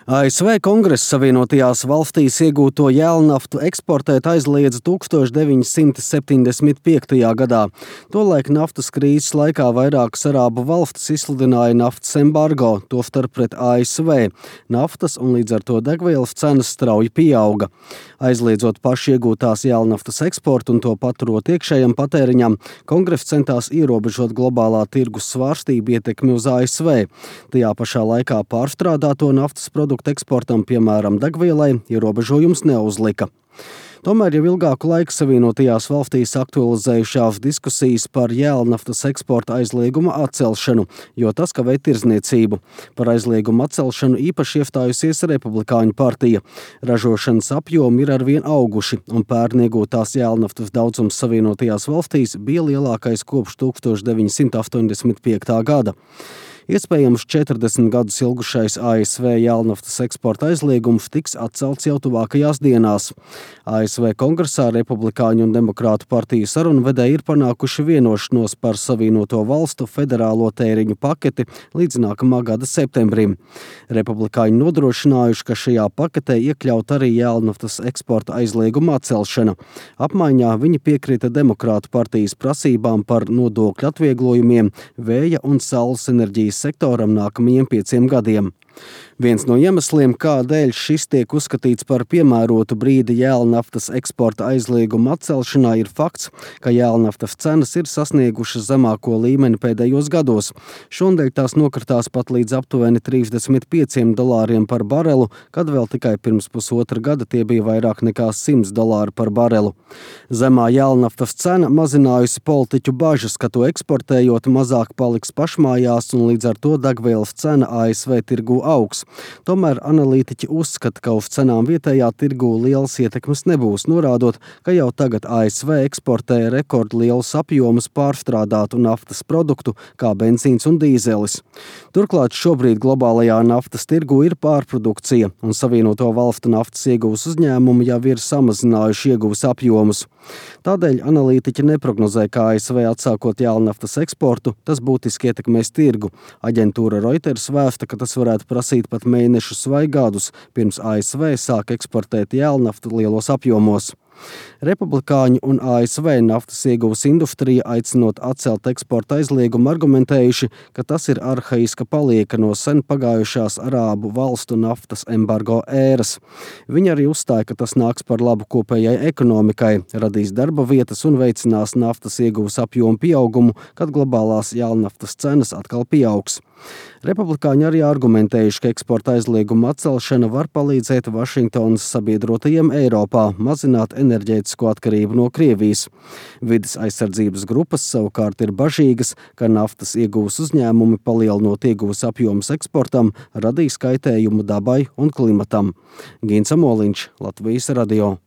ASV Kongress Savienotajās valstīs iegūto jēlnaftu eksportēt aizliedza 1975. gadā. Tolaik naftas krīzes laikā vairākas arābu valstis izsludināja naftas embargo, tostarp pret ASV. Naftas un līdz ar to degvielas cenas strauji pieauga. Aizliedzot paši iegūtās jēlnaftas eksportu un to paturot iekšējam patēriņam, Kongress centās ierobežot globālā tirgus svārstību ietekmi uz ASV. Tajā pašā laikā pārstrādāto naftas produktu eksportam, piemēram, degvielai, ierobežojums neuzlika. Tomēr jau ilgāku laiku Savienotajās valstīs aktualizējušās diskusijas par jēlnaftas eksporta aizlieguma atcelšanu, jo tas kavē tirdzniecību. Par aizliegumu atcelšanu īpaši iestājusies Republikāņu partija. Ražošanas apjomi ir arvien auguši, un pērn iegūtās jēlnaftas daudzums Savienotajās valstīs bija lielākais kopš 1985. gada. Iespējams, 40 gadus ilgušais ASV jēlnaftas eksporta aizliegums tiks atcelts jau tuvākajās dienās. ASV Kongresā Republikāņu un Demokrātu partiju sarunvedēji ir panākuši vienošanos par Savienoto valstu federālo tēriņu paketi līdz nākamā gada septembrim. Republikāņi nodrošinājuši, ka šajā paketē iekļaut arī jēlnaftas eksporta aizlieguma atcelšana. Apmaiņā viņi piekrita Demokrātu partijas prasībām par nodokļu atvieglojumiem vēja un saules enerģijas sektoram nākamajiem 5 gadiem. Viens no iemesliem, kādēļ šis tiek uzskatīts par piemērotu brīdi jēlnaftas eksporta aizlieguma atcelšanā, ir fakts, ka jēlnaftas cenas ir sasniegušas zemāko līmeni pēdējos gados. Šonadēļ tās nokritās pat līdz aptuveni $35 par barelu, kad vēl tikai pirms pusotra gada tie bija vairāk nekā $100 par barelu. Zemā jēlnaftas cena mazinājusi politiķu bažas, ka to eksportējot mazāk paliks pašmājās un līdz ar to degvielas cena ASV tirgū augs. Tomēr analītiķi uzskata, ka uz cenām vietējā tirgū lielas ietekmes nebūs, norādot, ka jau tagad ASV eksportē rekordlielus apjomus pārstrādātu naftas produktu, kā benzīns un dīzelis. Turklāt šobrīd globālajā naftas tirgū ir pārprodukcija, un Savienoto valstu naftas ieguvas uzņēmumi jau ir samazinājuši ieguvas apjomus. Tādēļ analītiķi neprognozē, ka ASV atsākot jēlnaftas eksportu, tas būtiski ietekmēs tirgu. Aģentūra Reuters vēsta, ka tas varētu prasīt pat mēnešus vai gadus, pirms ASV sāk eksportēt jēlnaftu lielos apjomos. Republikāņu un ASV naftas ieguvas industrija, aicinot atcelt eksporta aizliegumu, argumentējuši, ka tas ir arhaiska palieka no sen pagājušās arābu valstu naftas embargo ēras. Viņi arī uzstāja, ka tas nāks par labu kopējai ekonomikai, radīs darba vietas un veicinās naftas ieguvas apjomu pieaugumu, kad globālās jēlnaftas cenas atkal pieaugs. Republikāņi arī argumentējuši, ka eksporta aizlieguma atcelšana var palīdzēt Vašingtonas sabiedrotajiem Eiropā mazināt enerģētisko atkarību no Krievijas. Vides aizsardzības grupas savukārt ir bažīgas, ka naftas ieguvas uzņēmumi palielinot ieguvas apjomus eksportam radīs kaitējumu dabai un klimatam. Gins Amoliņš, Latvijas radio.